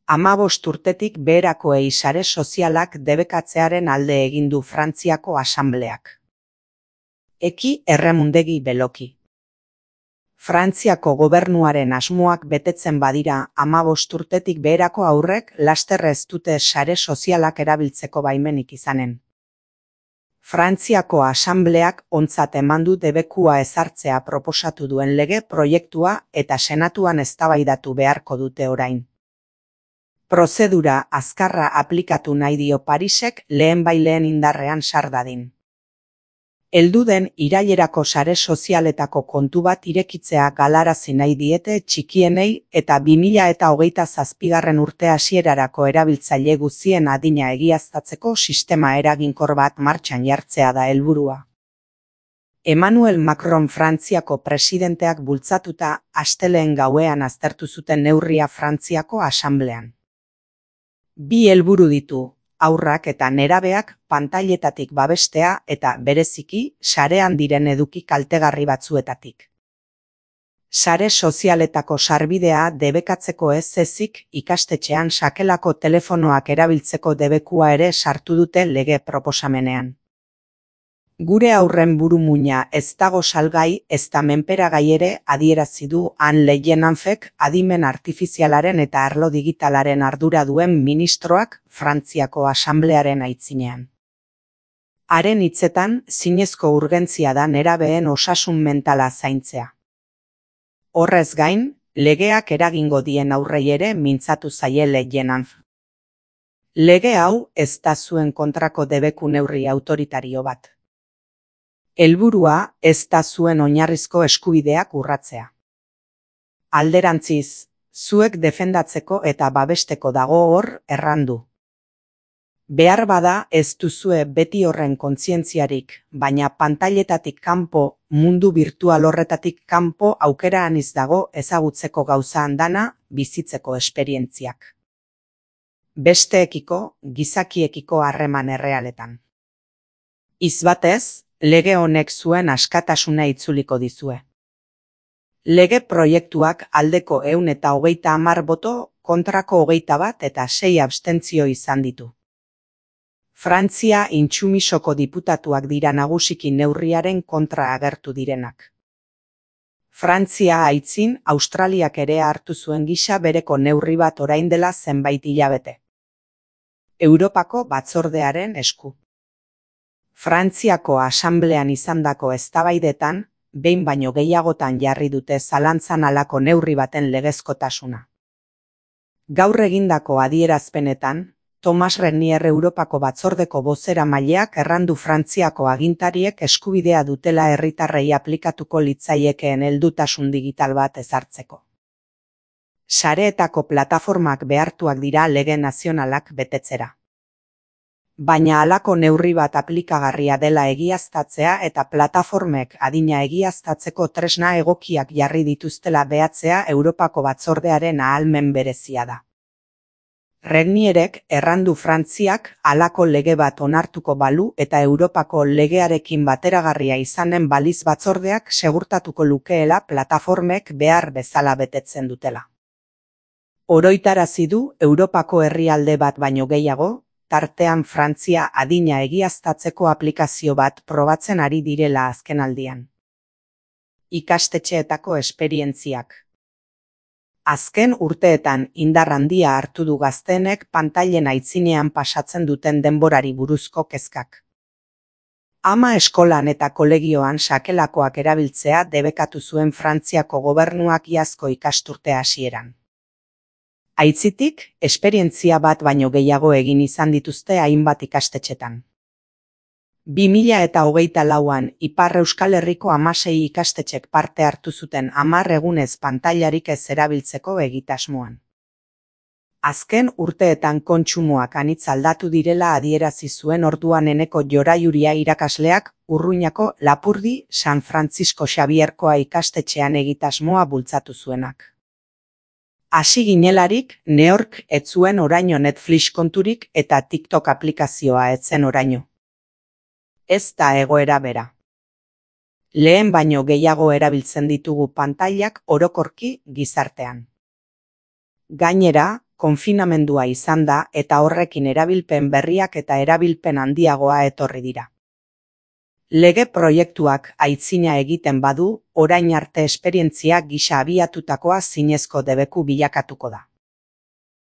15 urtetik beherakoei sare sozialak debekatzearen alde egin du Frantziako Asanbleak. Eki erremundegi beloki. Frantziako gobernuaren asmoak betetzen badira 15 urtetik beherako haurrek laster ez dute sare sozialak erabiltzeko baimenik izanen. Frantziako Asanbleak ontzat eman du debekua ezartzea proposatu duen lege proiektua eta senatuan eztabaidatu beharko dute orain. Prozedura azkarra aplikatu nahi dio Parisek lehenbailehen indarrean sar dadin. Heldu den irailerako sare sozialetako kontu bat irekitzea galarazi nahi diete txikienei eta 2027 urte hasierarako erabiltzaile guztien adina egiaztatzeko sistema eraginkor bat martxan jartzea da helburua. Emmanuel Macron Frantziako presidenteak bultzatuta astelehen gauean aztertu zuten neurria Frantziako Asanblean. Bi helburu ditu, haurrak eta nerabeak pantailetatik babestea eta bereziki sarean diren eduki kaltegarri batzuetatik. Sare sozialetako sarbidea debekatzeko ez ezik ikastetxean sakelako telefonoak erabiltzeko debekua ere sartu dute lege proposamenean. Gure haurren burumuina ez dago salgai ezta menperagai ere adierazi du Han Leyenanfek adimen artifizialaren eta arlo digitalaren ardura duen ministroak Frantziako Asanblearen aitzinean. Haren hitzetan, zinezko urgentzia da nerabeen osasun mentala zaintzea. Horrez gain, legeak eragingo dien aurrei ere mintzatu zaie Leyenanf. Lege hau ez da zuen kontrako debeku neurri autoritario bat. Helburua ez da zuen oinarrizko eskubideak urratzea. Alderantziz, zuek defendatzeko eta babesteko dago hor errandu. Behar bada ez duzue beti horren kontzientziarik, baina pantailetatik kanpo, mundu virtual horretatik kanpo aukera aniz dago ezagutzeko gauza andana, bizitzeko esperientziak. Besteekiko, gizakiekiko harreman errealetan. Izbatez, lege honek zuen askatasuna itzuliko dizue. Lege proiektuak aldeko 130 boto, kontrako 21 eta 6 abstentzio izan ditu. Frantzia intsumisoko diputatuak dira nagusiki neurriaren kontra agertu direnak. Frantzia aitzin Australiak ere hartu zuen gisa bereko neurri bat orain dela zenbait hilabete. Europako batzordearen esku. Frantziako Asanblean izandako eztabaidetan, behin baino gehiagotan jarri dute zalantzan halako neurri baten legezkotasuna. Gaur egindako adierazpenetan, Thomas Renier Europako batzordeko bozeramaileak errandu Frantziako agintariek eskubidea dutela herritarrei aplikatuko litzaiekeen heldutasun digital bat ezartzeko. Sareetako plataformak behartuak dira lege nazionalak betetzera. Baina halako neurri bat aplikagarria dela egiaztatzea eta plataformek adina egiaztatzeko tresna egokiak jarri dituztela behatzea Europako batzordearen ahalmen berezia da. Renierek errandu Frantziak halako lege bat onartuko balu eta Europako legearekin bateragarria izanen baliz batzordeak segurtatuko lukeela plataformek behar bezala betetzen dutela. Oroitarazi du Europako herrialde bat baino gehiago, tartean Frantzia adina egiaztatzeko aplikazio bat probatzen ari direla azkenaldian. Ikastetxeetako esperientziak. Azken urteetan indar handia hartu du gazteenek pantailen aitzinean pasatzen duten denborari buruzko kezkak. Ama eskolan eta kolegioan sakelakoak erabiltzea debekatu zuen Frantziako gobernuak iazko ikasturte hasieran. Aitzitik, esperientzia bat baino gehiago egin izan dituzte hainbat ikastetxetan. 2024an Ipar Euskal Herriko 16 ikastetxek parte hartu zuten 10 egunez pantailarik ez erabiltzeko egitasmoan. Azken urteetan kontsumoak anitz aldatu direla adierazi zuen orduan Eneko Joraiuria irakasleak Urruñako Lapurdi San Francisco Xabierkoa ikastetxean egitasmoa bultzatu zuenak. Hasi ginelarik, neork ez zuen oraino Netflix konturik eta TikTok aplikazioa ez zen oraino. Ez da egoera bera. Lehen baino gehiago erabiltzen ditugu pantailak orokorki gizartean. Gainera, konfinamendua izan da eta horrekin erabilpen berriak eta erabilpen handiagoa etorri dira. Lege proiektuak aitzina egiten badu, orain arte esperientzia gisa abiatutakoa zinezko debeku bilakatuko da.